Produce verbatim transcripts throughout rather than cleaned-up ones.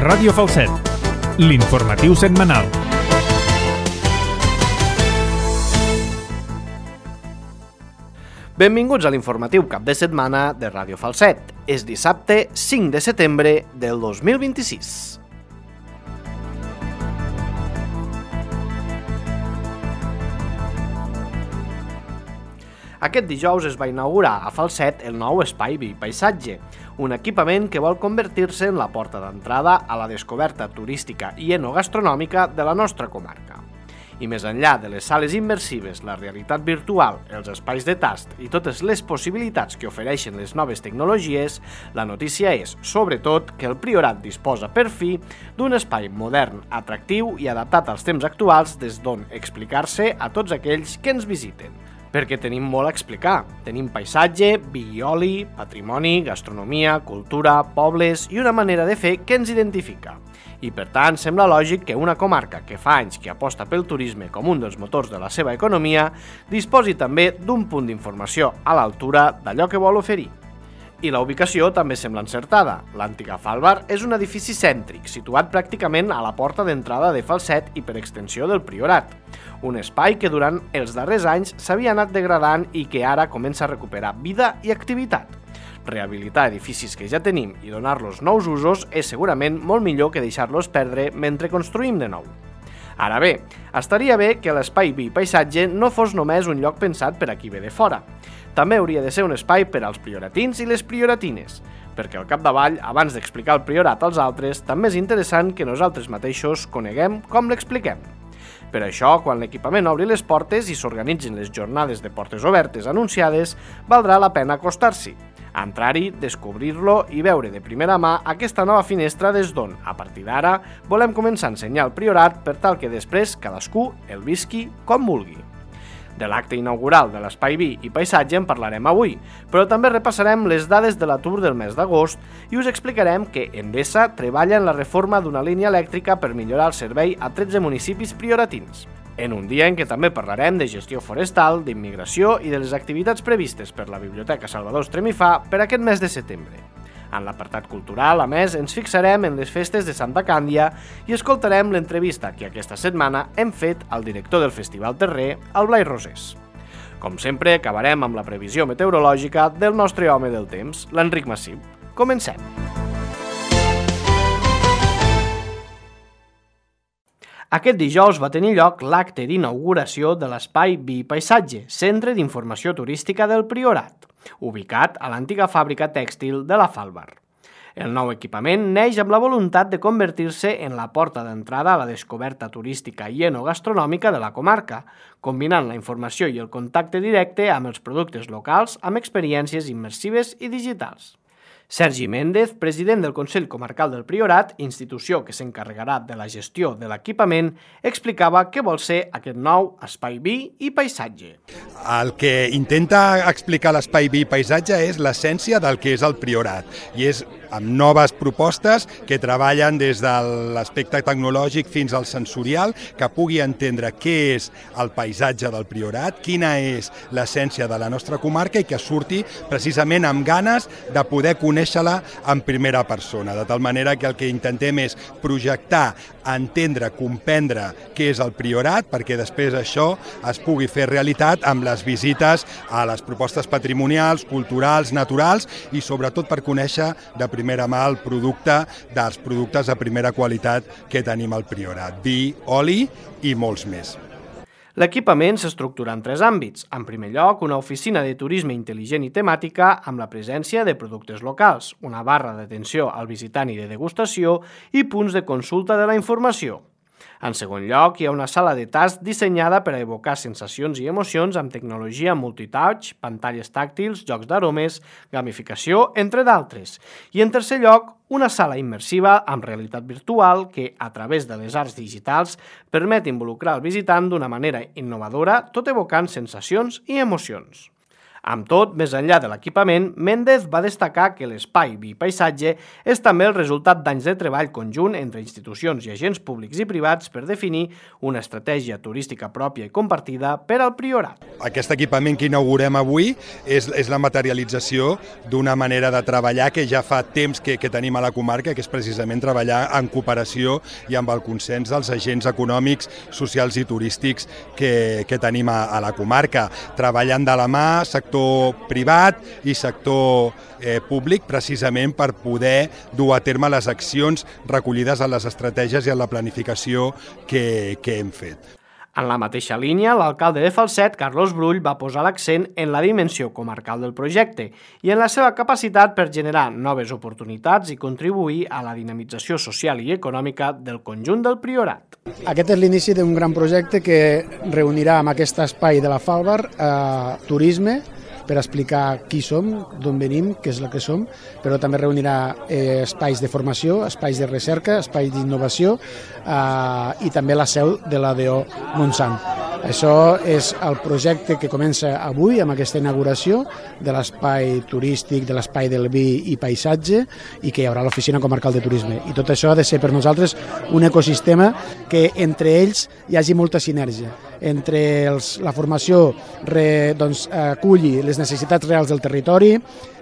Ràdio Falset, l'informatiu setmanal. Benvinguts a l'informatiu cap de setmana de Ràdio Falset. És dissabte cinc de setembre del dos mil vint-i-sis. Aquest dijous es va inaugurar a Falset el nou Espai Vi Paisatge, un equipament que vol convertir-se en la porta d'entrada a la descoberta turística i enogastronòmica de la nostra comarca. I més enllà de les sales immersives, la realitat virtual, els espais de tast i totes les possibilitats que ofereixen les noves tecnologies, la notícia és, sobretot, que el Priorat disposa per fi d'un espai modern, atractiu i adaptat als temps actuals des d'on explicar-se a tots aquells que ens visiten. Perquè tenim molt a explicar. Tenim paisatge, vi i oli, patrimoni, gastronomia, cultura, pobles i una manera de fer que ens identifica. I per tant, sembla lògic que una comarca que fa anys que aposta pel turisme com un dels motors de la seva economia disposi també d'un punt d'informació a l'altura d'allò que vol oferir. I la ubicació també sembla encertada. L'antiga Falbar és un edifici cèntric, situat pràcticament a la porta d'entrada de Falset i per extensió del Priorat. Un espai que durant els darrers anys s'havia anat degradant i que ara comença a recuperar vida i activitat. Rehabilitar edificis que ja tenim i donar-los nous usos és segurament molt millor que deixar-los perdre mentre construïm de nou. Ara bé, estaria bé que l'espai Vi Paisatge no fos només un lloc pensat per a qui ve de fora. També hauria de ser un espai per als prioratins i les prioratines, perquè al capdavall, abans d'explicar el priorat als altres, també és interessant que nosaltres mateixos coneguem com l'expliquem. Per això, quan l'equipament obri les portes i s'organitzin les jornades de portes obertes anunciades, valdrà la pena acostar-s'hi, entrar-hi, descobrir-lo i veure de primera mà aquesta nova finestra des d'on, a partir d'ara, volem començar a ensenyar el Priorat per tal que després cadascú el visqui com vulgui. De l'acte inaugural de l'Espai Vi i Paisatge en parlarem avui, però també repassarem les dades de l'atur del mes d'agost i us explicarem que Endesa treballa en la reforma d'una línia elèctrica per millorar el servei a tretze municipis prioratins. En un dia en què també parlarem de gestió forestal, d'immigració i de les activitats previstes per la Biblioteca Salvador Estremifà per aquest mes de setembre. En l'apartat cultural, a més, ens fixarem en les festes de Santa Càndia i escoltarem l'entrevista que aquesta setmana hem fet al director del Festival Terrer, el Blai Rosés. Com sempre, acabarem amb la previsió meteorològica del nostre home del temps, l'Enric Massip. Comencem! Aquest dijous va tenir lloc l'acte d'inauguració de l'Espai Vi Paisatge, centre d'informació turística del Priorat, ubicat a l'antiga fàbrica tèxtil de la Falbar. El nou equipament neix amb la voluntat de convertir-se en la porta d'entrada a la descoberta turística i enogastronòmica de la comarca, combinant la informació i el contacte directe amb els productes locals amb experiències immersives i digitals. Sergi Méndez, president del Consell Comarcal del Priorat, institució que s'encarregarà de la gestió de l'equipament, explicava què vol ser aquest nou Espai Vi i Paisatge. El que intenta explicar l'Espai Vi i Paisatge és l'essència del que és el Priorat i és amb noves propostes que treballen des de l'aspecte tecnològic fins al sensorial, que pugui entendre què és el paisatge del Priorat, quina és l'essència de la nostra comarca i que surti precisament amb ganes de poder conèixer-la en primera persona, de tal manera que el que intentem és projectar, entendre, comprendre què és el Priorat, perquè després això es pugui fer realitat amb les visites a les propostes patrimonials, culturals, naturals i sobretot per conèixer de primera mà el producte dels productes de primera qualitat que tenim al Priorat, vi, oli i molts més. L'equipament s'estructura en tres àmbits. En primer lloc, una oficina de turisme intel·ligent i temàtica amb la presència de productes locals, una barra d'atenció al visitant i de degustació i punts de consulta de la informació. En segon lloc, hi ha una sala de tast dissenyada per a evocar sensacions i emocions amb tecnologia multitouch, pantalles tàctils, jocs d'aromes, gamificació, entre d'altres. I en tercer lloc, una sala immersiva amb realitat virtual que, a través de les arts digitals, permet involucrar el visitant d'una manera innovadora, tot evocant sensacions i emocions. Amb tot, més enllà de l'equipament, Méndez va destacar que l'espai vi paisatge és també el resultat d'anys de treball conjunt entre institucions i agents públics i privats per definir una estratègia turística pròpia i compartida per al Priorat. Aquest equipament que inaugurem avui és, és la materialització d'una manera de treballar que ja fa temps que, que tenim a la comarca, que és precisament treballar en cooperació i amb el consens dels agents econòmics, socials i turístics que, que tenim a, a la comarca, treballant de la mà, sector privat i sector eh, públic, precisament per poder dur a terme les accions recollides en les estratègies i en la planificació que, que hem fet. En la mateixa línia, l'alcalde de Falset, Carlos Brull, va posar l'accent en la dimensió comarcal del projecte i en la seva capacitat per generar noves oportunitats i contribuir a la dinamització social i econòmica del conjunt del Priorat. Aquest és l'inici d'un gran projecte que reunirà en aquest espai de la Falbar eh, turisme, per explicar qui som, d'on venim, què és el que som, però també reunirà eh, espais de formació, espais de recerca, espais d'innovació eh, i també la seu de l'A D O Montsant. Això és el projecte que comença avui amb aquesta inauguració de l'espai turístic, de l'espai del vi i paisatge i que hi haurà l'oficina comarcal de turisme. I tot això ha de ser per nosaltres un ecosistema que entre ells hi hagi molta sinergia. Entre els, la formació re, doncs, aculli les necessitats reals del territori,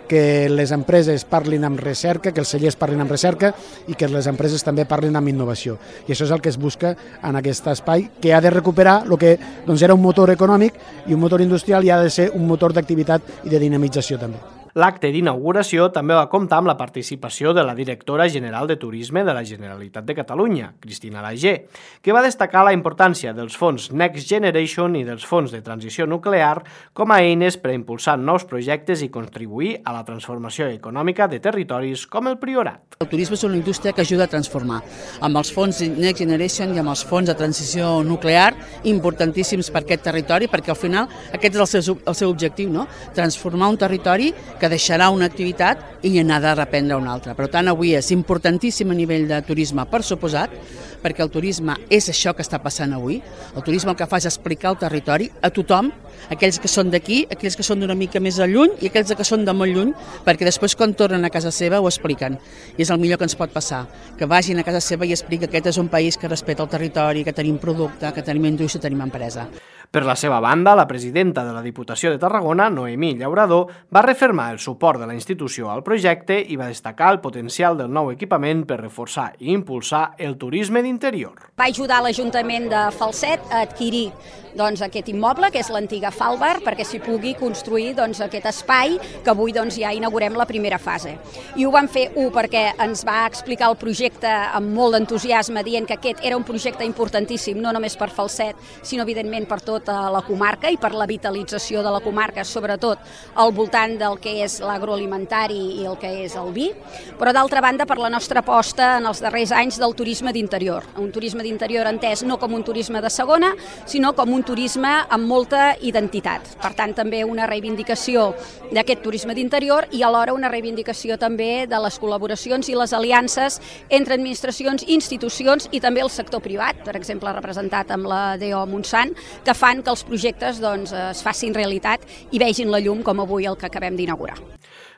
que les empreses parlin amb recerca, que els cellers parlin amb recerca i que les empreses també parlin amb innovació. I això és el que es busca en aquest espai, que ha de recuperar el que doncs, era un motor econòmic i un motor industrial i ha de ser un motor d'activitat i de dinamització també. L'acte d'inauguració també va comptar amb la participació de la directora general de Turisme de la Generalitat de Catalunya, Cristina Lagé, que va destacar la importància dels fons Next Generation i dels fons de transició nuclear com a eines per a impulsar nous projectes i contribuir a la transformació econòmica de territoris com el Priorat. El turisme és una indústria que ajuda a transformar. Amb els fons Next Generation i amb els fons de transició nuclear, importantíssims per aquest territori, perquè al final aquest és el seu, el seu objectiu, no? Transformar un territori que deixarà una activitat i n'ha de reprendre una altra. Per tant, avui és importantíssim a nivell de turisme, per suposat, perquè el turisme és això que està passant avui. El turisme el que fa és explicar el territori a tothom, aquells que són d'aquí, aquells que són d'una mica més a lluny i aquells que són de molt lluny, perquè després quan tornen a casa seva ho expliquen. I és el millor que ens pot passar, que vagin a casa seva i expliquen que aquest és un país que respecta el territori, que tenim producte, que tenim indústria, tenim empresa. Per la seva banda, la presidenta de la Diputació de Tarragona, Noemí Llaurador, va refermar el suport de la institució al projecte i va destacar el potencial del nou equipament per reforçar i impulsar el turisme d'interior. Va ajudar l'Ajuntament de Falset a adquirir doncs, aquest immoble, que és l'antiga Falbar, perquè s'hi pugui construir doncs, aquest espai que avui doncs, ja inaugurem la primera fase. I ho vam fer, un, perquè ens va explicar el projecte amb molt d'entusiasme, dient que aquest era un projecte importantíssim, no només per Falset, sinó evidentment per tota la comarca i per la vitalització de la comarca, sobretot al voltant del que és l'agroalimentari i el que és el vi, però d'altra banda per la nostra aposta en els darrers anys del turisme d'interior. Un turisme d'interior entès no com un turisme de segona, sinó com un turisme amb molta identitat. Per tant, també una reivindicació d'aquest turisme d'interior i alhora una reivindicació també de les col·laboracions i les aliances entre administracions, institucions i també el sector privat, per exemple representat amb la D O Montsant, que fan que els projectes doncs, es facin realitat i vegin la llum com avui el que acabem d'inaugurar.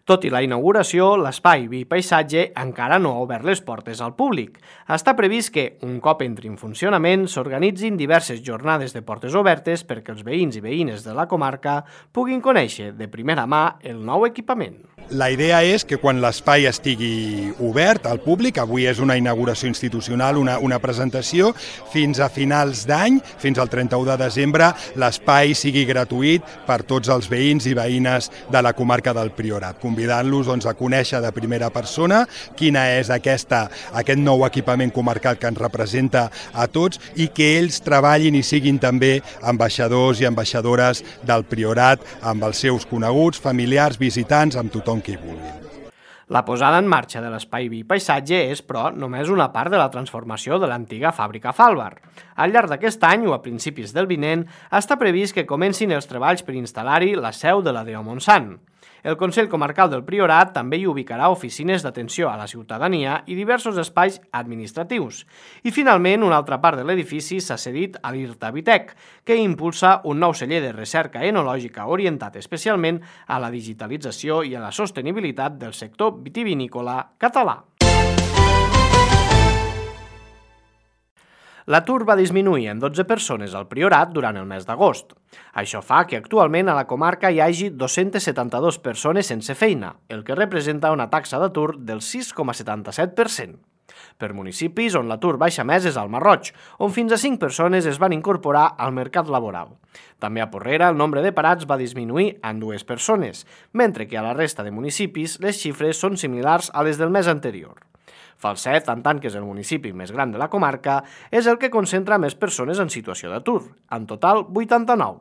Tot i la inauguració, l'espai Vi Paisatge encara no ha obert les portes al públic. Està previst que, un cop entri en funcionament, s'organitzin diverses jornades de portes obertes perquè els veïns i veïnes de la comarca puguin conèixer de primera mà el nou equipament. La idea és que quan l'espai estigui obert al públic, avui és una inauguració institucional, una, una presentació, fins a finals d'any, fins al trenta-u de desembre, l'espai sigui gratuït per tots els veïns i veïnes de la comarca del Priorat, convidant-los doncs, a conèixer de primera persona quina és aquesta, aquest nou equipament comarcal que ens representa a tots i que ells treballin i siguin també ambaixadors i ambaixadores del Priorat amb els seus coneguts, familiars, visitants, amb tothom que hi vulguin. La posada en marxa de l'espai Vi Paisatge és, però, només una part de la transformació de l'antiga fàbrica Falbar. Al llarg d'aquest any o a principis del vinent està previst que comencin els treballs per instal·lar-hi la seu de la D O Montsant. El Consell Comarcal del Priorat també hi ubicarà oficines d'atenció a la ciutadania i diversos espais administratius. I finalment, una altra part de l'edifici s'ha cedit a l'IRTA-Vitec, que impulsa un nou celler de recerca enològica orientat especialment a la digitalització i a la sostenibilitat del sector vitivinícola català. L'atur va disminuir en dotze persones al Priorat durant el mes d'agost. Això fa que actualment a la comarca hi hagi dos-centes setanta-dues persones sense feina, el que representa una taxa d'atur del sis coma setanta-set per cent. Per municipis on l'atur baixa més és al Marroig, on fins a cinc persones es van incorporar al mercat laboral. També a Porrera el nombre de parats va disminuir en dues persones, mentre que a la resta de municipis les xifres són similars a les del mes anterior. Falset, en tant que és el municipi més gran de la comarca, és el que concentra més persones en situació d'atur, en total vuitanta-nou.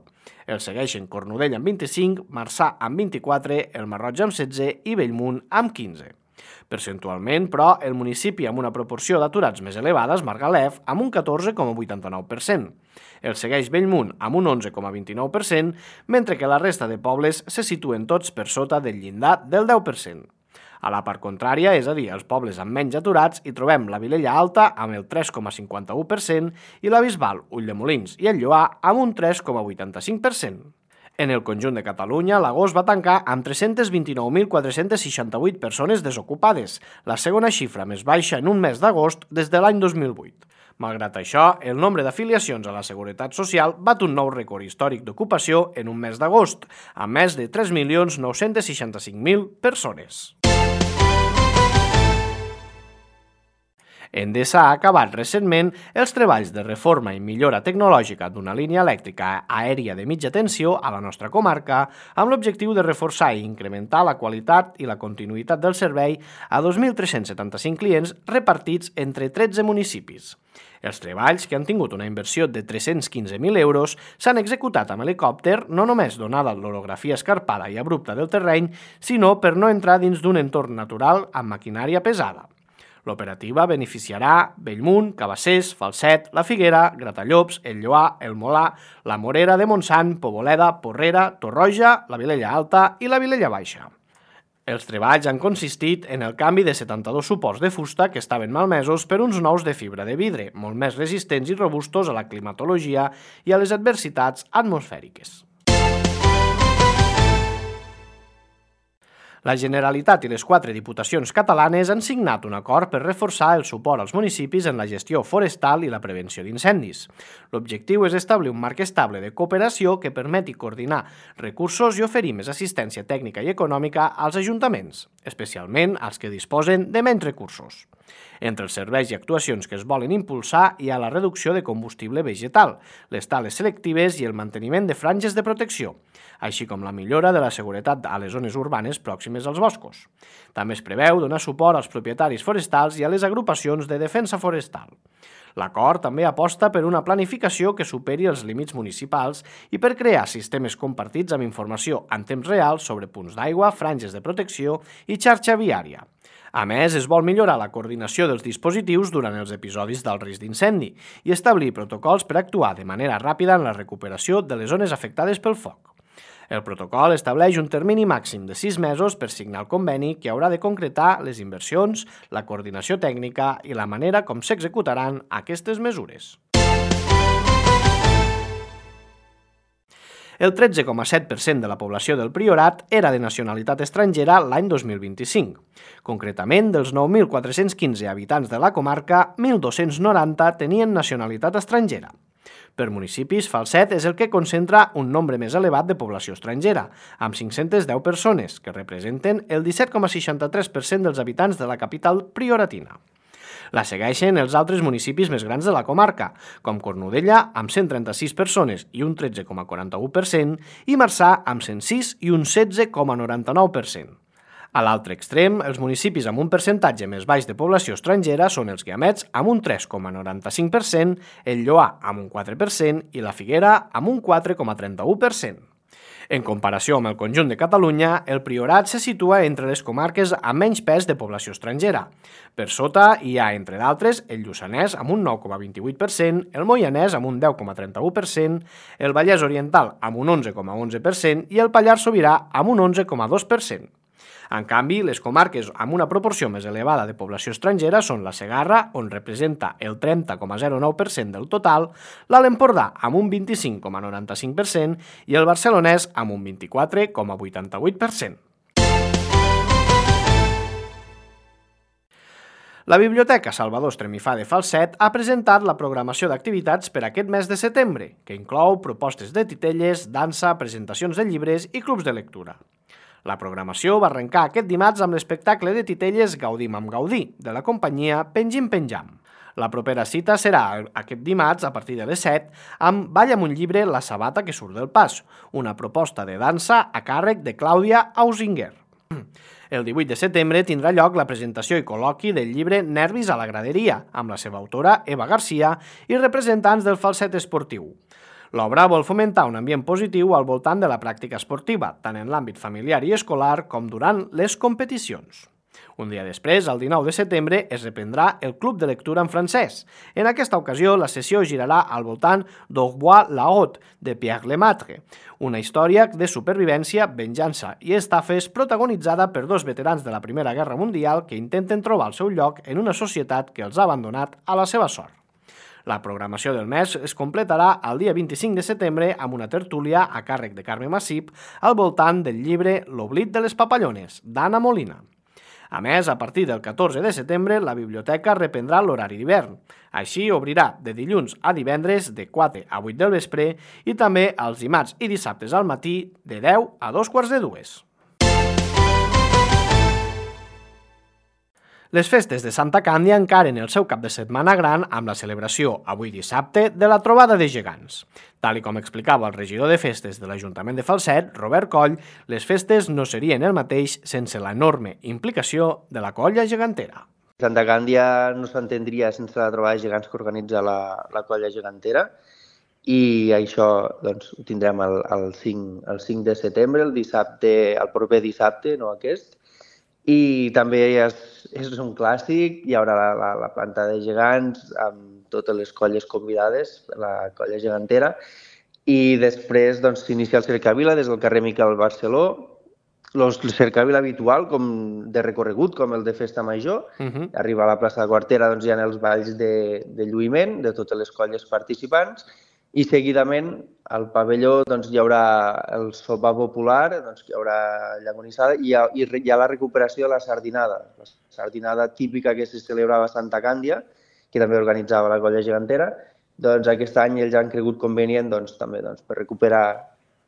El segueixen Cornudella amb vint-i-cinc, Marçà amb vint-i-quatre, el Marroig amb setze i Bellmunt amb quinze. Percentualment, però, el municipi amb una proporció d'aturats més elevada és Margalef, amb un catorze coma vuitanta-nou per cent. El segueix Bellmunt amb un onze coma vint-i-nou per cent, mentre que la resta de pobles se situen tots per sota del llindar del deu per cent. A la part contrària, és a dir, els pobles amb menys aturats, hi trobem la Vilella Alta amb el tres coma cinquanta-u per cent i la Bisbal, Ulldemolins i el Lloar amb un tres coma vuitanta-cinc per cent. En el conjunt de Catalunya, l'agost va tancar amb tres-centes vint-i-nou mil quatre-centes seixanta-vuit persones desocupades, la segona xifra més baixa en un mes d'agost des de l'any dos mil vuit. Malgrat això, el nombre d'afiliacions a la Seguretat Social bat un nou rècord històric d'ocupació en un mes d'agost, amb més de tres milions nou-cents seixanta-cinc mil persones. Endesa ha acabat recentment els treballs de reforma i millora tecnològica d'una línia elèctrica aèria de mitja tensió a la nostra comarca amb l'objectiu de reforçar i incrementar la qualitat i la continuïtat del servei a dos mil tres-cents setanta-cinc clients repartits entre tretze municipis. Els treballs, que han tingut una inversió de tres-cents quinze mil euros, s'han executat amb helicòpter no només donada l'orografia escarpada i abrupta del terreny, sinó per no entrar dins d'un entorn natural amb maquinària pesada. L'operativa beneficiarà Bellmunt, Cabassers, Falset, La Figuera, Gratallops, el Lloar, el Molar, la Morera de Montsant, Poboleda, Porrera, Torroja, la Vilella Alta i la Vilella Baixa. Els treballs han consistit en el canvi de setanta-dos suports de fusta que estaven malmesos per uns nous de fibra de vidre, molt més resistents i robustos a la climatologia i a les adversitats atmosfèriques. La Generalitat i les quatre diputacions catalanes han signat un acord per reforçar el suport als municipis en la gestió forestal i la prevenció d'incendis. L'objectiu és establir un marc estable de cooperació que permeti coordinar recursos i oferir més assistència tècnica i econòmica als ajuntaments, especialment als que disposen de menys recursos. Entre els serveis i actuacions que es volen impulsar hi ha la reducció de combustible vegetal, les tales selectives i el manteniment de franges de protecció, així com la millora de la seguretat a les zones urbanes pròximes als boscos. També es preveu donar suport als propietaris forestals i a les agrupacions de defensa forestal. L'acord també aposta per una planificació que superi els límits municipals i per crear sistemes compartits amb informació en temps real sobre punts d'aigua, franges de protecció i xarxa viària. A més, es vol millorar la coordinació dels dispositius durant els episodis del risc d'incendi i establir protocols per actuar de manera ràpida en la recuperació de les zones afectades pel foc. El protocol estableix un termini màxim de sis mesos per signar el conveni que haurà de concretar les inversions, la coordinació tècnica i la manera com s'executaran aquestes mesures. El tretze coma set per cent de la població del Priorat era de nacionalitat estrangera l'any dos mil vint-i-cinc. Concretament, dels nou mil quatre-cents quinze habitants de la comarca, mil dos-cents noranta tenien nacionalitat estrangera. Per municipis, Falset és el que concentra un nombre més elevat de població estrangera, amb cinc-centes deu persones, que representen el disset coma seixanta-tres per cent dels habitants de la capital prioratina. La segueixen els altres municipis més grans de la comarca, com Cornudella, amb cent trenta-sis persones i un tretze coma quaranta-u per cent, i Marçà, amb cent sis i un setze coma noranta-nou per cent. A l'altre extrem, els municipis amb un percentatge més baix de població estrangera són els Guiamets, amb un tres coma noranta-cinc per cent, el Lloar, amb un quatre per cent, i la Figuera, amb un quatre coma trenta-u per cent. En comparació amb el conjunt de Catalunya, el Priorat se situa entre les comarques amb menys pes de població estrangera. Per sota hi ha, entre d'altres, el Lluçanès amb un nou coma vint-i-vuit per cent, el Moianès amb un deu coma trenta-u per cent, el Vallès Oriental amb un onze coma onze per cent i el Pallars Sobirà amb un onze coma dos per cent. En canvi, les comarques amb una proporció més elevada de població estrangera són la Segarra, on representa el trenta coma zero nou per cent del total, l'Alt Empordà amb un vint-i-cinc coma noranta-cinc per cent i el Barcelonès amb un vint-i-quatre coma vuitanta-vuit per cent. La Biblioteca Salvador Estremifà de Falset ha presentat la programació d'activitats per aquest mes de setembre, que inclou propostes de titelles, dansa, presentacions de llibres i clubs de lectura. La programació va arrencar aquest dimarts amb l'espectacle de titelles Gaudim amb Gaudí, de la companyia Pengim Penjam. La propera cita serà aquest dimarts a partir de les set amb Balla amb un llibre La sabata que surt del pas, una proposta de dansa a càrrec de Clàudia Ausinger. El divuit de setembre tindrà lloc la presentació i col·loqui del llibre Nervis a la graderia, amb la seva autora Eva Garcia i representants del falset esportiu. L'obra vol fomentar un ambient positiu al voltant de la pràctica esportiva, tant en l'àmbit familiar i escolar com durant les competicions. Un dia després, el dinou de setembre, es reprendrà el Club de Lectura en francès. En aquesta ocasió, la sessió girarà al voltant d'Au revoir la haute, de Pierre Lemaitre, una història de supervivència, venjança i estafes protagonitzada per dos veterans de la Primera Guerra Mundial que intenten trobar el seu lloc en una societat que els ha abandonat a la seva sort. La programació del mes es completarà el dia vint-i-cinc de setembre amb una tertúlia a càrrec de Carme Massip al voltant del llibre L'oblit de les papallones, d'Anna Molina. A més, a partir del catorze de setembre, la biblioteca reprendrà l'horari d'hivern. Així, obrirà de dilluns a divendres de quatre a vuit del vespre i també els dimarts i dissabtes al matí de deu a dos quarts de dues. Les festes de Santa Càndia encaren el seu cap de setmana gran amb la celebració, avui dissabte, de la trobada de gegants. Tal i com explicava el regidor de festes de l'Ajuntament de Falset, Robert Coll, les festes no serien el mateix sense l'enorme implicació de la colla gegantera. Santa Càndia no s'entendria sense la trobada de gegants que organitza la, la colla gegantera i això doncs, ho tindrem el, el, cinc, el cinc de setembre, el dissabte, el proper dissabte, no aquest. I també és, és un clàssic, hi haurà la, la, la planta de gegants amb totes les colles convidades, la colla gegantera, i després doncs, s'inicia el cercavila des del carrer Miquel Barceló, el cercavila habitual com de recorregut, com el de Festa Major, uh-huh. Arriba a la plaça de Quartera, doncs, hi ha els balls de, de lluïment de totes les colles participants, i seguidament al pavelló doncs, hi haurà el sopar popular, doncs, hi haurà llagonissada i hi ha, hi ha la recuperació de la sardinada, la sardinada típica que se celebrava a Santa Càndia, que també organitzava la colla gegantera. Doncs aquest any ells han cregut convenient doncs, també doncs, per recuperar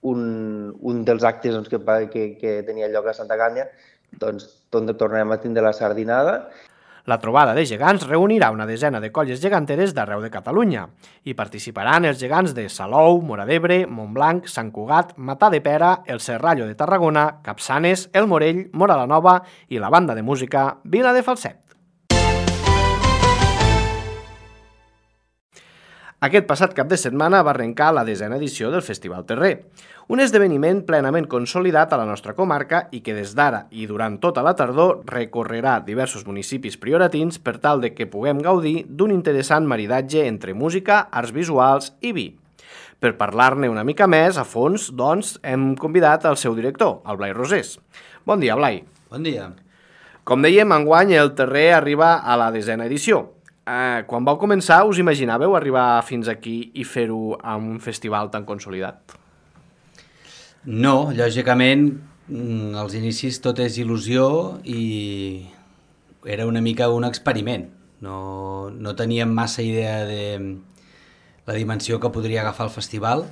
un, un dels actes doncs, que, que, que tenia lloc a Santa Càndia, doncs tornem a tindre la sardinada. La trobada de gegants reunirà una desena de colles geganteres d'arreu de Catalunya. Hi participaran els gegants de Salou, Móra d'Ebre, Montblanc, Sant Cugat, Matadepera, el Serrallo de Tarragona, Capçanes, el Morell, Móra la Nova i la banda de música Vila de Falset. Aquest passat cap de setmana va arrencar la desena edició del Festival Terrer, un esdeveniment plenament consolidat a la nostra comarca i que des d'ara i durant tota la tardor recorrerà diversos municipis prioratins per tal de que puguem gaudir d'un interessant maridatge entre música, arts visuals i vi. Per parlar-ne una mica més a fons, doncs, hem convidat el seu director, el Blai Rosés. Bon dia, Blai. Bon dia. Com dèiem, enguany el Terrer arriba a la desena edició. Eh, quan vau començar, us imaginàveu arribar fins aquí i fer-ho amb un festival tan consolidat? No, lògicament, als inicis tot és il·lusió i era una mica un experiment. No, no teníem massa idea de la dimensió que podria agafar el festival.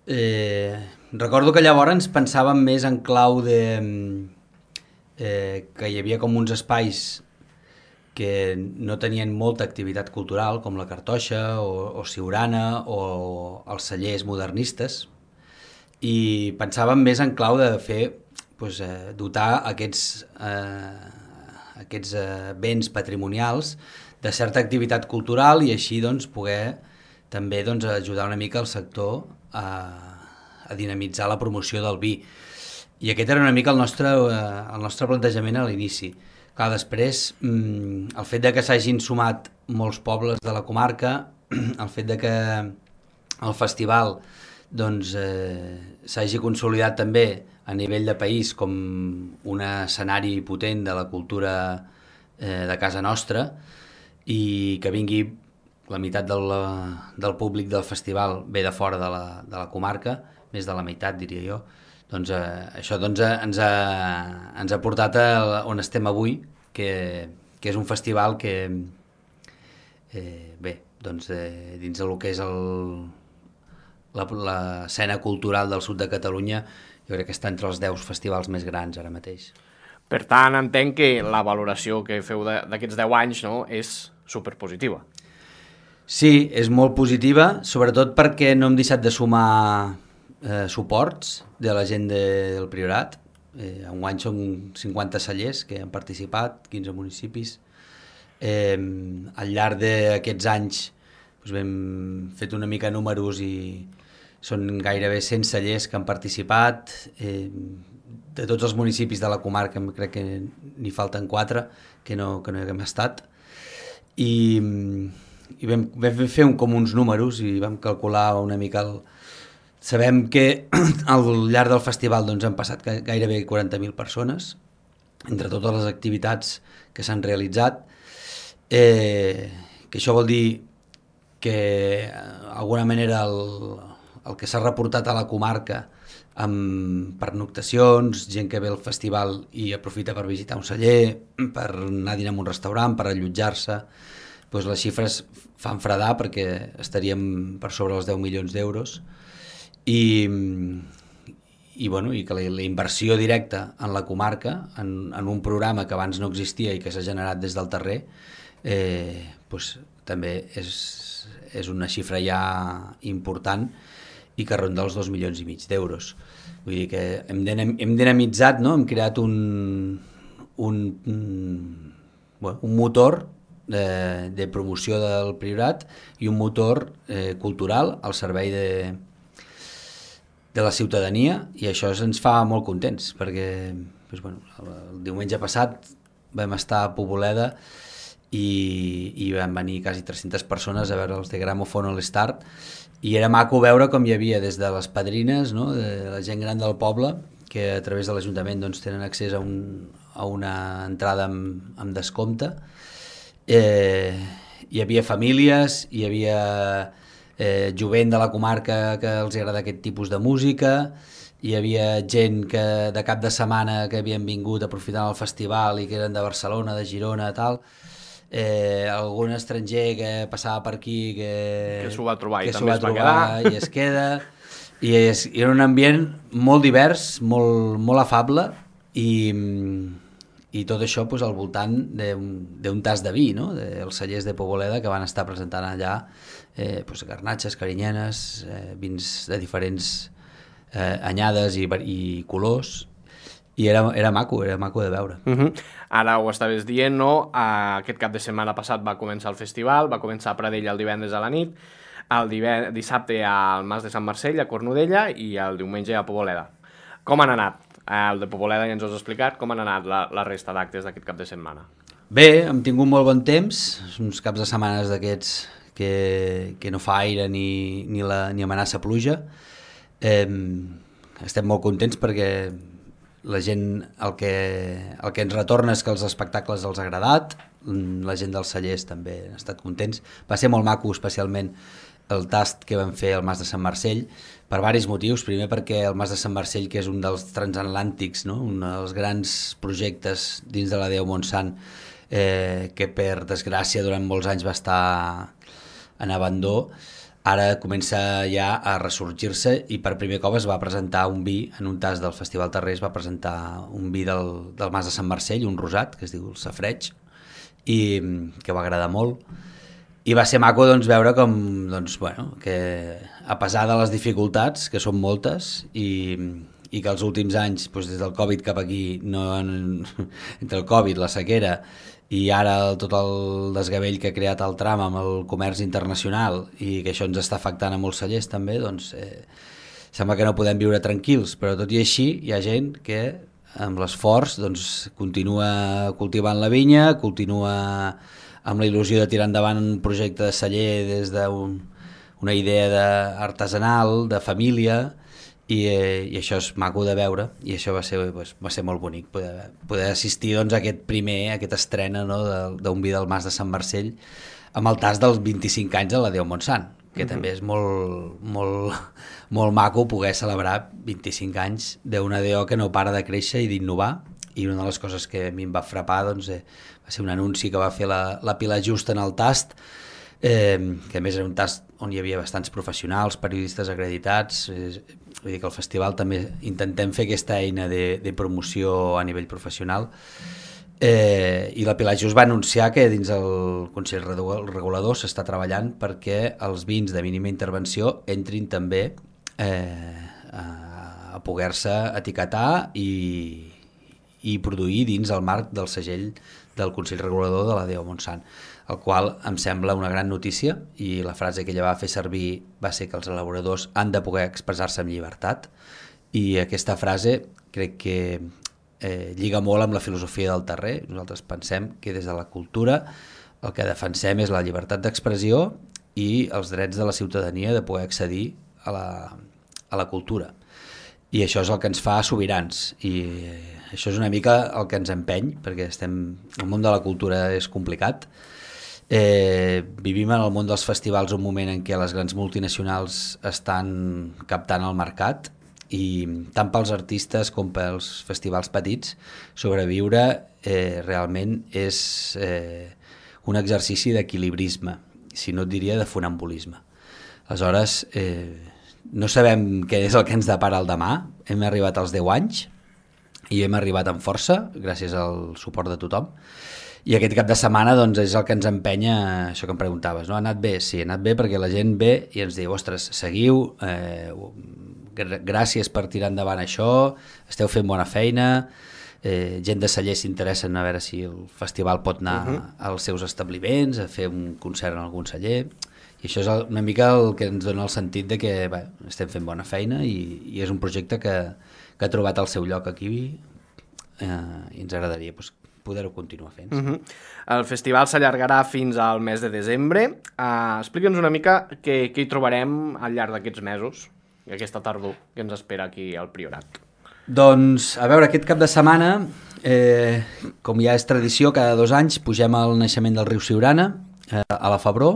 Eh, recordo que llavors pensàvem més en clau de eh, que hi havia com uns espais que no tenien molta activitat cultural, com la Cartoixa o, o Siurana o els cellers modernistes, i pensàvem més en clau de fer, doncs, eh, dotar aquests, eh, aquests eh, béns patrimonials de certa activitat cultural i així doncs, poder també doncs, ajudar una mica el sector a, a dinamitzar la promoció del vi. I aquest era una mica el nostre, el nostre plantejament a l'inici. Clar, després, el fet de que s'hagin sumat molts pobles de la comarca, el fet de que el festival doncs, eh, s'hagi consolidat també a nivell de país com un escenari potent de la cultura eh, de casa nostra, i que vingui la meitat del, del públic del festival ve de fora de la, de la comarca, més de la meitat diria jo, doncs eh, això doncs, eh, ens, ha, ens ha portat a on estem avui, que, que és un festival que, eh, bé, doncs eh, dins del que és el, la, l'escena cultural del sud de Catalunya, jo crec que està entre els deu festivals més grans ara mateix. Per tant, entenc que la valoració que feu d'aquests deu anys, no, és superpositiva. Sí, és molt positiva, sobretot perquè no hem deixat de sumar eh, suports de la gent de, del Priorat. Eh, enguany són cinquanta cellers que han participat, quinze municipis. Eh, al llarg d'aquests anys doncs, hem fet una mica números i són gairebé cent cellers que han participat. Eh, de tots els municipis de la comarca crec que n'hi falten quatre que no, que no hi haguem estat. I, i vam, vam fer un, com uns números i vam calcular una mica el... Sabem que al llarg del festival doncs, han passat gairebé quaranta mil persones entre totes les activitats que s'han realitzat, eh, que això vol dir que d'alguna manera el, el que s'ha reportat a la comarca amb pernoctacions, gent que ve al festival i aprofita per visitar un celler, per anar a dinar en un restaurant, per allotjar-se, doncs les xifres fan fredar perquè estaríem per sobre els deu milions d'euros i, i, bueno, i que la, la inversió directa en la comarca, en, en un programa que abans no existia i que s'ha generat des del terrer, eh, doncs, també és, és una xifra ja important i que ronda els dos milions i mig d'euros. Vull dir que hem, hem dinamitzat, no? Hem creat un, un, un, bueno, un motor de, de promoció del Priorat i un motor eh, cultural al servei de, de la ciutadania, i això ens fa molt contents, perquè doncs, bueno, el diumenge passat vam estar a Poboleda i, i van venir quasi tres-centes persones a veure els de Gramòfon a l'Start, i era maco veure com hi havia des de les padrines, no? De la gent gran del poble, que a través de l'Ajuntament doncs, tenen accés a, un, a una entrada amb, amb descompte. Eh, hi havia famílies, hi havia eh, jovent de la comarca que els agrada aquest tipus de música, hi havia gent que de cap de setmana que havien vingut aprofitant el festival i que eren de Barcelona, de Girona, tal... Eh, algun estranger que passava per aquí que, que s'ho va trobar, que i també va es va trobar quedar i es queda i, és, i era un ambient molt divers, molt, molt afable i, i tot això pues, al voltant d'un tas de vi, no? dels cellers de Poboleda que van estar presentant allà eh, pues, garnatxes, carinyenes, eh, vins de diferents eh, anyades i, i colors. I era, era maco, era maco de veure. Uh-huh. Ara ho estaves dient, no? Aquest cap de setmana passat va començar el festival, va començar a Pradell el divendres a la nit, el divend... dissabte al Mas de Sant Marcell, a Cornudella, i el diumenge a Poboleda. Com han anat? El de Poboleda ja ens ho has explicat, com han anat la, la resta d'actes d'aquest cap de setmana? Bé, hem tingut molt bon temps, uns caps de setmanes d'aquests que, que no fa aire ni, ni, la, ni amenaça pluja. Eh, estem molt contents perquè la gent, el que, el que ens retorna és que els espectacles els ha agradat, la gent dels cellers també han estat contents. Va ser molt maco, especialment el tast que vam fer al Mas de Sant Marcell, per diversos motius. Primer perquè el Mas de Sant Marcell, que és un dels transatlàntics, no? Un dels grans projectes dins de la Déu Montsant, eh, que per desgràcia durant molts anys va estar en abandó, ara comença ja a ressorgir-se i per primer cop es va presentar un vi, en un tas del Festival Terrer es va presentar un vi del, del Mas de Sant Marcell, un rosat, que es diu el Safreig, i que va agradar molt. I va ser maco doncs, veure com, doncs, bueno, que a pesar de les dificultats, que són moltes, i, i que els últims anys, doncs, des del Covid cap aquí, no, entre el Covid, la sequera, i ara tot el desgavell que ha creat el tram amb el comerç internacional i que això ens està afectant a molts cellers també, doncs eh, sembla que no podem viure tranquils, però tot i així hi ha gent que amb l'esforç doncs, continua cultivant la vinya, continua amb la il·lusió de tirar endavant un projecte de celler des d'una idea de artesanal, de família, i, eh, i això és maco de veure, i això va ser, pues, va ser molt bonic, poder, poder assistir doncs, a aquest primer, a aquesta estrena, no, d'un vi del Mas de Sant Marcell, amb el tast dels vint-i-cinc anys de la Déu Montsant, que uh-huh. també és molt, molt, molt maco poder celebrar vint-i-cinc anys d'una D O que no para de créixer i d'innovar, i una de les coses que a mi em va frapar doncs, eh, va ser un anunci que va fer la, la Pilar Just en el tast, eh, que a més era un tast on hi havia bastants professionals, periodistes acreditats, eh, vull dir que al festival també intentem fer aquesta eina de, de promoció a nivell professional. Eh, i la Pilar Just va anunciar que dins el Consell Regulador s'està treballant perquè els vins de mínima intervenció entrin també eh, a, a poder-se etiquetar i, i produir dins el marc del segell del Consell Regulador de la D O Montsant, el qual em sembla una gran notícia, i la frase que ella va fer servir va ser que els elaboradors han de poder expressar-se amb llibertat, i aquesta frase crec que Eh, lliga molt amb la filosofia del terrer. Nosaltres pensem que des de la cultura el que defensem és la llibertat d'expressió i els drets de la ciutadania de poder accedir a la, a la cultura. I això és el que ens fa sobirans, i eh, això és una mica el que ens empeny, perquè estem, el món de la cultura és complicat. Eh, vivim en el món dels festivals un moment en què les grans multinacionals estan captant el mercat, i tant pels artistes com pels festivals petits sobreviure eh, realment és eh, un exercici d'equilibrisme, si no et diria de funambulisme. Aleshores, eh, no sabem què és el que ens depara el demà. Hem arribat als deu anys i hem arribat amb força gràcies al suport de tothom, i aquest cap de setmana doncs, és el que ens empenya, això que em preguntaves, no? Ha anat bé? Sí, ha anat bé perquè la gent ve i ens diu, ostres, seguiu, eh, gràcies per tirar endavant això, esteu fent bona feina, eh, gent de celler s'interessa a veure si el festival pot anar uh-huh. als seus establiments, a fer un concert en algun celler, i això és una mica el que ens dona el sentit de que bé, estem fent bona feina, i, i és un projecte que, que ha trobat el seu lloc aquí, eh, i ens agradaria pues, poder-ho continuar fent. Uh-huh. El festival s'allargarà fins al mes de desembre. Uh, Explica'ns una mica què, què hi trobarem al llarg d'aquests mesos, i aquesta tardor que ens espera aquí al Priorat. Doncs, a veure, aquest cap de setmana, eh, com ja és tradició, cada dos anys pugem al naixement del riu Siurana, eh, a la Febró.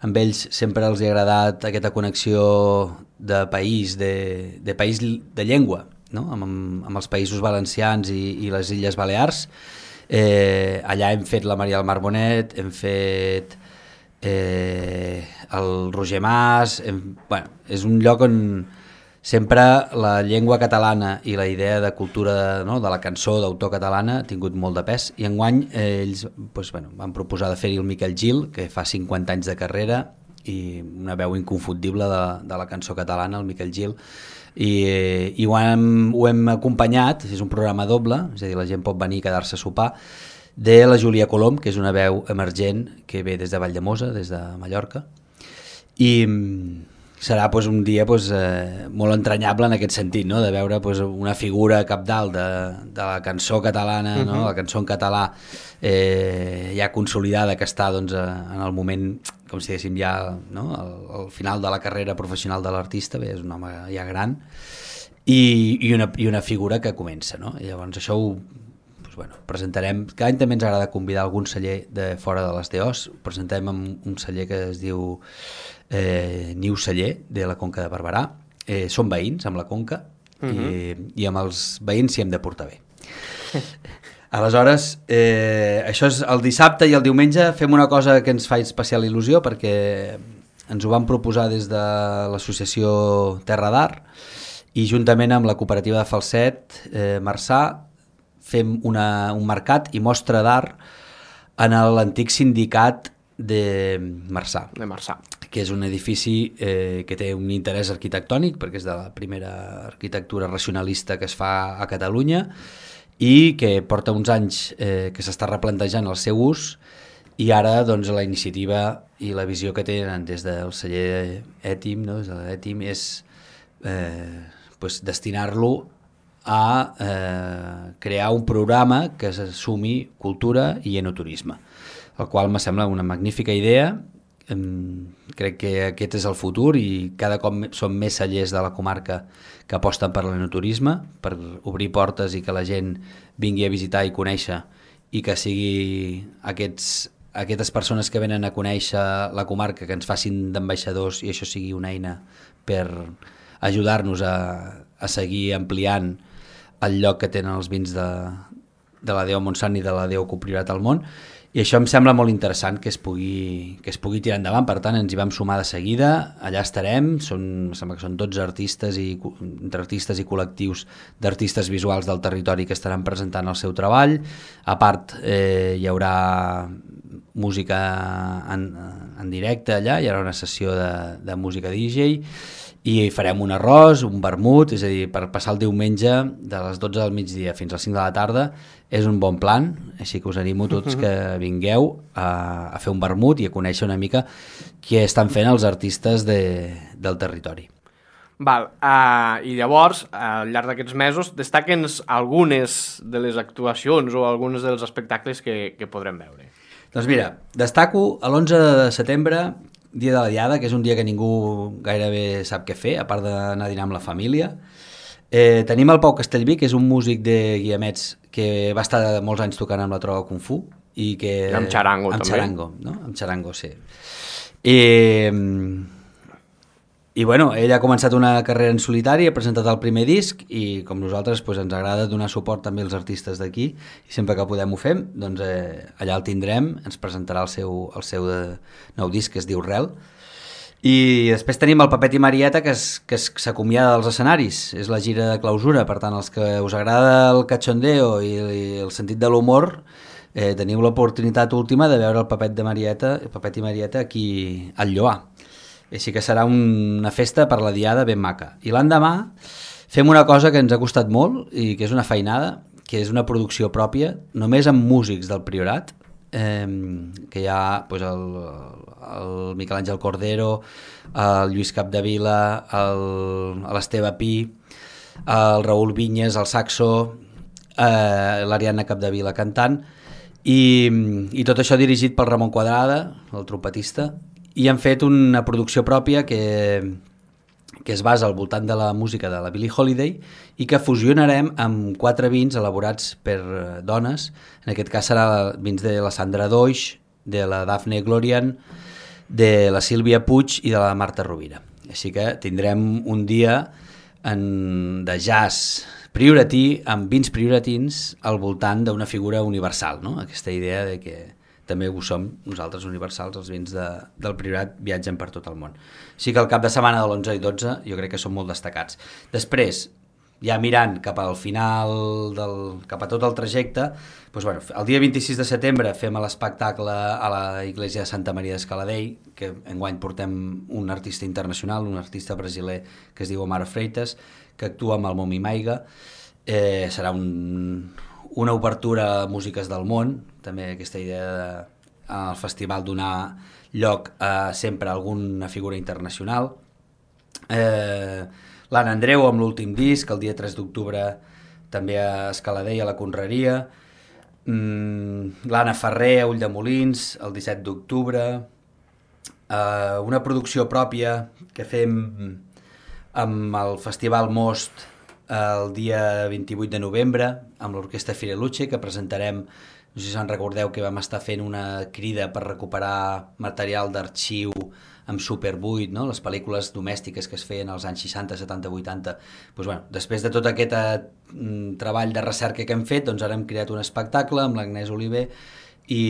Amb ells sempre els ha agradat aquesta connexió de país, de, de país de llengua, no? amb, amb els països valencians i, i les Illes Balears. Eh, allà hem fet la Maria del Mar Bonet, hem fet eh, el Roger Mas, hem, bueno, és un lloc on sempre la llengua catalana i la idea de cultura, no, de la cançó d'autor catalana ha tingut molt de pes, i enguany eh, ells pues, bueno, van proposar de fer-hi el Miquel Gil, que fa cinquanta anys de carrera i una veu inconfundible de, de la cançó catalana, el Miquel Gil, i, i ho, hem, ho hem acompanyat, és un programa doble, és a dir, la gent pot venir a quedar-se a sopar, de la Júlia Colom, que és una veu emergent que ve des de Valldemossa, des de Mallorca, i serà pues, un dia pues, eh, molt entranyable en aquest sentit, no? De veure pues, una figura capdalt de, de la cançó catalana, uh-huh. no? La cançó en català eh, ja consolidada, que està doncs, en el moment, com si diguéssim ja no? al, al final de la carrera professional de l'artista, bé, és un home ja gran, i, i, una, i una figura que comença, no? I llavors això ho pues, bueno, presentarem, cada any també ens agrada convidar algun celler de fora de les D Os, presentem un celler que es diu eh, Niu Celler, de la Conca de Barberà, eh, són veïns amb la Conca, uh-huh. i, i amb els veïns s'hi hem de portar bé. Aleshores, eh, això és el dissabte, i el diumenge fem una cosa que ens fa especial il·lusió, perquè ens ho vam proposar des de l'associació Terra d'Art, i juntament amb la cooperativa de Falset, eh, Marçà, fem una, un mercat i mostra d'art en l'antic sindicat de Marçà, de Marçà, que és un edifici eh, que té un interès arquitectònic, perquè és de la primera arquitectura racionalista que es fa a Catalunya, i que porta uns anys eh, que s'està replantejant el seu ús, i ara doncs, la iniciativa i la visió que tenen des del celler Ètim, no? Des de l'Ètim, és eh, pues destinar-lo a eh, crear un programa que s'assumi cultura i enoturisme, el qual me sembla una magnífica idea. Crec que aquest és el futur i cada cop són més cellers de la comarca que aposten per l'enoturisme, per obrir portes i que la gent vingui a visitar i conèixer, i que sigui aquests, aquestes persones que venen a conèixer la comarca que ens facin d'ambaixadors i això sigui una eina per ajudar-nos a, a seguir ampliant el lloc que tenen els vins de, de la Déu Montsant i de la Déu Copriorat al món. I això em sembla molt interessant que es pugui, que es pugui tirar endavant, per tant ens hi vam sumar de seguida, allà estarem, són, em sembla que són dotze artistes, i, entre artistes i col·lectius d'artistes visuals del territori que estaran presentant el seu treball, a part eh, hi haurà música en, en directe allà, hi haurà una sessió de, de música D J, i farem un arròs, un vermut, és a dir, per passar el diumenge de les dotze del migdia fins a les cinc de la tarda és un bon plan, així que us animo tots que vingueu a, a fer un vermut i a conèixer una mica què estan fent els artistes de, del territori. Val, uh, i llavors, al llarg d'aquests mesos, destaquen algunes de les actuacions o alguns dels espectacles que, que podrem veure. Doncs mira, destaco l'onze de setembre, dia de la Diada, que és un dia que ningú gairebé sap què fer, a part d'anar a dinar amb la família. Eh, tenim el Pau Castellví, que és un músic de Guiamets que va estar molts anys tocant amb la trova Kung Fu. I que... I amb xarango, amb també. Xarango, no? Amb xarango, sí. I, I bueno, ell ha començat una carrera en solitari, ha presentat el primer disc i com nosaltres pues, ens agrada donar suport també als artistes d'aquí i sempre que podem ho fem, doncs eh, allà el tindrem, ens presentarà el seu, el seu de, nou disc que es diu Rel. I després tenim el Pepet i Marieta que, es, que es, s'acomiada dels escenaris, és la gira de clausura, per tant els que us agrada el cachondeo i, i el sentit de l'humor eh, teniu l'oportunitat última de veure el Pepet, de Marieta, el Pepet i Marieta aquí al Lloar. Així que serà una festa per la Diada ben maca. I l'endemà fem una cosa que ens ha costat molt i que és una feinada, que és una producció pròpia, només amb músics del Priorat, eh, que hi ha pues, el, el Miquel Àngel Cordero, el Lluís Capdevila, l'Esteve Pi, el Raül Vinyes, el saxo, eh, l'Ariadna Capdevila cantant, i, i tot això dirigit pel Ramon Quadrada, el trompetista, i han fet una producció pròpia que, que es basa al voltant de la música de la Billie Holiday i que fusionarem amb quatre vins elaborats per dones. En aquest cas serà vins de la Sandra Doix, de la Daphne Glorian, de la Sílvia Puig i de la Marta Rovira. Així que tindrem un dia en, de jazz prioratí amb vins prioratins al voltant d'una figura universal, no? Aquesta idea de que també ho som nosaltres universals, els vins de, del Priorat viatgen per tot el món. Així que el cap de setmana de l'onze i dotze jo crec que són molt destacats. Després, ja mirant cap al final, del, cap a tot el trajecte, doncs, bueno, el dia vint-i-sis de setembre fem l'espectacle a la Iglesia de Santa Maria d'Escaladei, que enguany portem un artista internacional, un artista brasiler que es diu Omar Freitas, que actua amb el Momi Maiga. Eh, serà un... una obertura a músiques del món, també aquesta idea de, al festival donar lloc a sempre a alguna figura internacional. Eh, L'Anna Andreu amb l'últim disc, el dia tres d'octubre també a Escaladei, a la Conreria. Mm, L'Anna Ferrer a Ulldemolins, el disset d'octubre. Eh, una producció pròpia que fem amb el Festival Most el dia vint-i-vuit de novembre amb l'Orquestra Fireluce, que presentarem, no sé si se'n recordeu que vam estar fent una crida per recuperar material d'arxiu amb Super vuit, no? Les pel·lícules domèstiques que es feien als anys seixanta, setanta, vuitanta. Pues, bueno, després de tot aquest eh, treball de recerca que hem fet, doncs ara hem creat un espectacle amb l'Agnès Oliver i,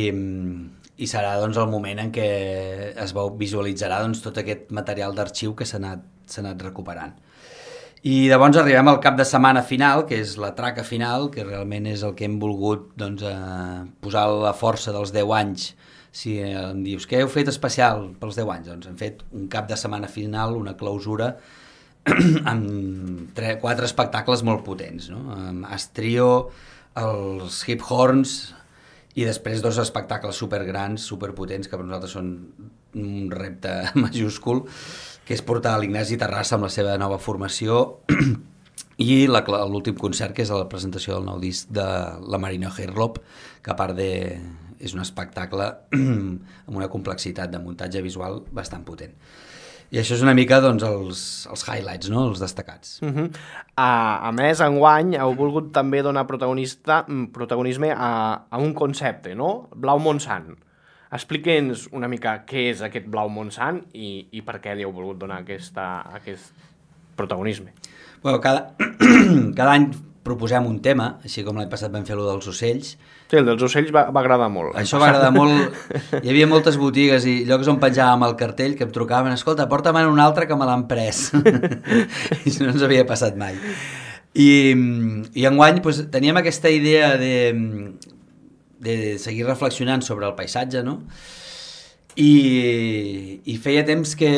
i serà doncs, el moment en què es visualitzarà doncs, tot aquest material d'arxiu que s'ha anat, s'ha anat recuperant. I llavors arribem al cap de setmana final, que és la traca final, que realment és el que hem volgut doncs, eh, posar la força dels deu anys. Si em dius, què heu fet especial pels deu anys? Doncs hem fet un cap de setmana final, una clausura, amb tres, quatre espectacles molt potents, no? Amb Astrio, els Hip Horns, i després dos espectacles supergrans, superpotents, que per nosaltres són un repte majúscul, que és portar l'Ignasi Terrassa amb la seva nova formació i l'últim concert, que és la presentació del nou disc de la Marina Herlop, que a part de... és un espectacle amb una complexitat de muntatge visual bastant potent. I això és una mica doncs, els, els highlights, no? Els destacats. Uh-huh. a, a més, enguany heu volgut també donar protagonista, protagonisme a, a un concepte, no? Blau Montsant. Explique'ns una mica què és aquest Blau Montsant i, i per què li heu volgut donar aquesta, aquest protagonisme. Bueno, cada, cada any proposem un tema, així com l'any passat vam fer-lo dels ocells. Sí, el dels ocells va, va agradar molt. Això va agradar molt. Hi havia moltes botigues i llocs on penjàvem el cartell que em trucaven, escolta, porta'm un altre que me l'han pres. I no ens havia passat mai. I, i enguany doncs, teníem aquesta idea de, de seguir reflexionant sobre el paisatge, no? I, i feia temps que,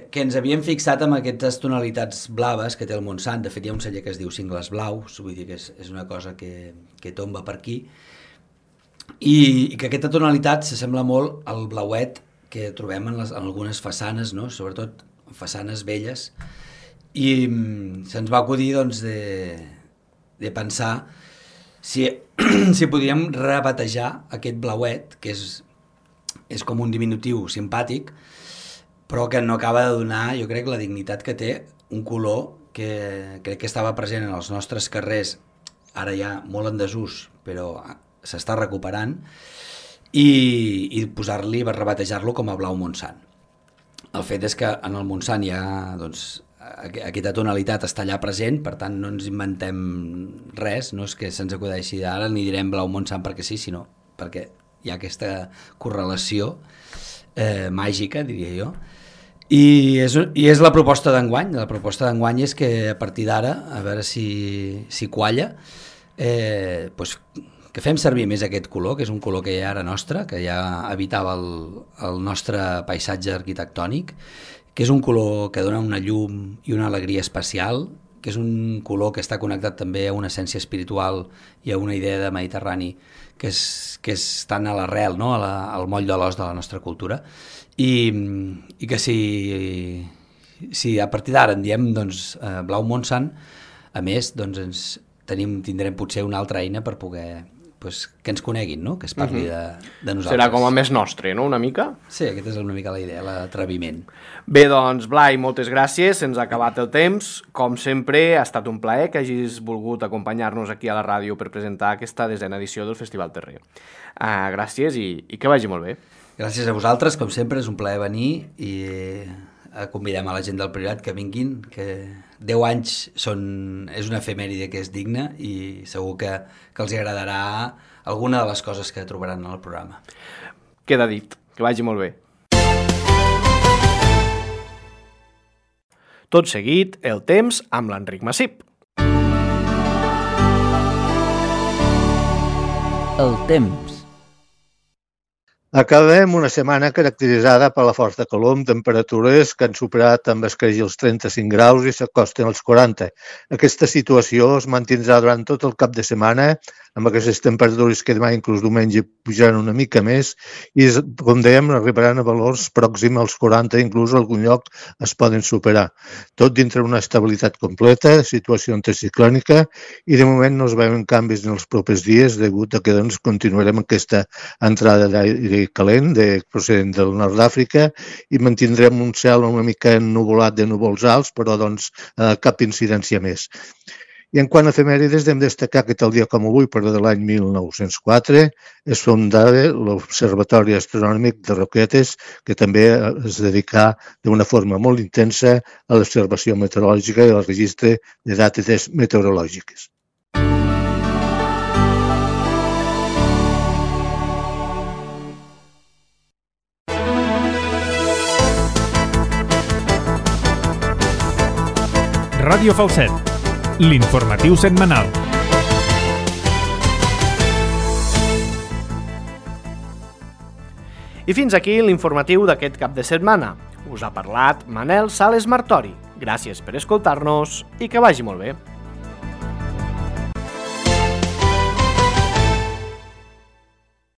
que ens havíem fixat amb aquestes tonalitats blaves que té el Montsant. De fet, hi ha un celler que es diu Cingles Blaus, vull dir que és, és una cosa que, que tomba per aquí, i, i que aquesta tonalitat s'assembla molt al blauet que trobem en, les, en algunes façanes, no? Sobretot façanes velles, i se'ns va acudir doncs, de, de pensar si, si podíem rebatejar aquest blauet, que és és com un diminutiu simpàtic, però que no acaba de donar, jo crec, la dignitat que té un color que crec que estava present en els nostres carrers, ara ja molt en desús, però s'està recuperant, i, i posar-li, rebatejar-lo com a Blau Montsant. El fet és que en el Montsant hi ha, doncs, aquesta tonalitat està allà present, per tant no ens inventem res, no és que se'ns acudeixi ara ni direm Blau Montsant perquè sí, sinó perquè hi ha aquesta correlació eh, màgica, diria jo. I és, i és la proposta d'enguany. La proposta d'enguany és que a partir d'ara, a veure si, si qualla, eh, doncs, que fem servir més aquest color, que és un color que ja era nostre, que ja habitava el, el nostre paisatge arquitectònic, que és un color que dona una llum i una alegria especial, que és un color que està connectat també a una essència espiritual i a una idea de Mediterrani que és, que és tan a l'arrel, no? a la, al moll de l'os de la nostra cultura, i, i que si, si a partir d'ara en diem doncs, eh, Blau Montsant, a més doncs ens tenim, tindrem potser una altra eina per poder pues, que ens coneguin, no? Que es parli uh-huh. de, de nosaltres. Serà com a més nostre, no?, una mica? Sí, aquesta és una mica la idea, l'atreviment. Bé, doncs, Blai, moltes gràcies, se'ns ha acabat el temps. Com sempre, ha estat un plaer que hagis volgut acompanyar-nos aquí a la ràdio per presentar aquesta desena edició del Festival Terrer. Uh, gràcies i, i que vagi molt bé. Gràcies a vosaltres, com sempre, és un plaer venir i convidem a la gent del Priorat que vinguin, que deu anys són, és una efemèride que és digna i segur que, que els agradarà alguna de les coses que trobaran en el programa. Queda dit, que vagi molt bé. Tot seguit, el temps amb l'Enric Massip. El temps. Acabem una setmana caracteritzada per la força calor amb temperatures que han superat amb escreix els trenta-cinc graus i s'acosten als quaranta. Aquesta situació es mantindrà durant tot el cap de setmana, amb aquestes temperatures que demà inclús diumenge pujaran una mica més i, com dèiem, arribaran a valors pròxims als quaranta, inclús en algun lloc es poden superar. Tot dintre una estabilitat completa, situació anticiclònica, i de moment no es veuen canvis en els propers dies degut a que doncs, continuarem aquesta entrada d'aire calent de, procedent del nord d'Àfrica i mantindrem un cel una mica ennuvolat de núvols alts, però doncs, eh, cap incidència més. I en quant a efemèrides, hem de destacar que tal dia com avui, però de l'any mil nou-cents quatre, es fundava l'Observatori Astronòmic de Roquetes, que també es dedicà d'una forma molt intensa a l'observació meteorològica i al registre de dades meteorològiques. Ràdio Falset, l'informatiu setmanal. I fins aquí l'informatiu d'aquest cap de setmana. Us ha parlat Manel Sales Martori. Gràcies per escoltar-nos i que vagi molt bé.